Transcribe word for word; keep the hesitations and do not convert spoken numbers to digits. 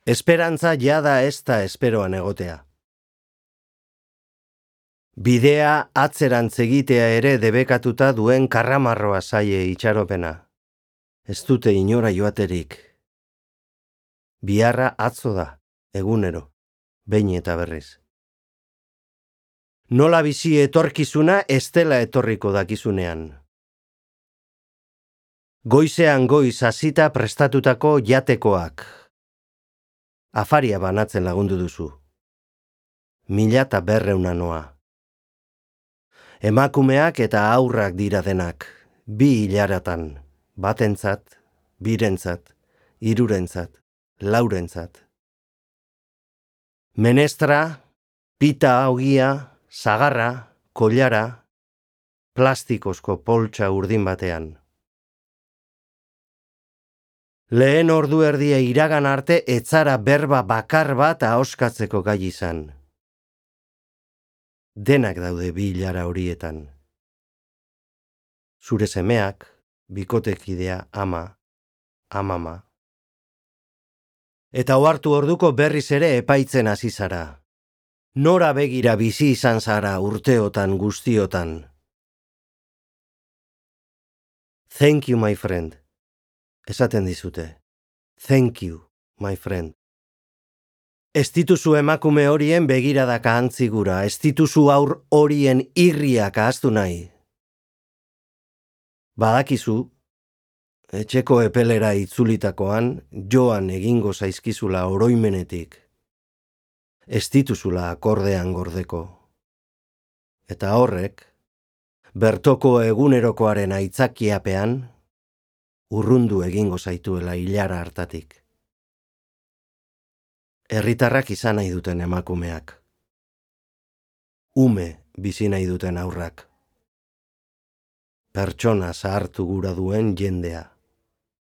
Esperantza jada ez da esperoan egotea. Bidea atzerantz egitea ere debekatuta duen karramarroa zaie itxaropena. Ez dute inora joaterik. Biharra atzo da, egunero, behin eta berriz. Nola bizi etorkizuna ez dela etorriko dakizunean. Goizean goiz hasita prestatutako jatekoak. Afaria banatzen lagundu duzu. Mila eta berreuna noa. Emakumeak eta aurrak dira denak, bi hilaratan, batentzat, birentzat, hirurentzat, laurentzat. Menestra, pita ogia, sagarra, kollara, plastikozko poltsa urdin batean. Lehen ordu erdia iragan arte etzara berba bakar bat ahoskatzeko gai izan. Denak daude bi hilara horietan. Zure semeak, bikotekidea ama, amama. Eta ohartu orduko berriz ere epaitzen hasi zara. Nora begira bizi izan zara urteotan guztiotan. Thank you, my friend. Esaten dizute. Thank you, my friend. Ez dituzu emakume horien begiradaka antzigura, ez dituzu aur horien irriak ahaztu nahi. Badakizu, etxeko epelera itzulitakoan, joan egingo zaizkizula oroimenetik. Ez dituzula akordean gordeko. Eta horrek, bertoko egunerokoaren aitzakiapean, urrundu egingo zaituela hilara hartatik. Herritarrak izan nahi duten emakumeak. Ume bizi nahi duten aurrak. Pertsona zahartu gura duen jendea.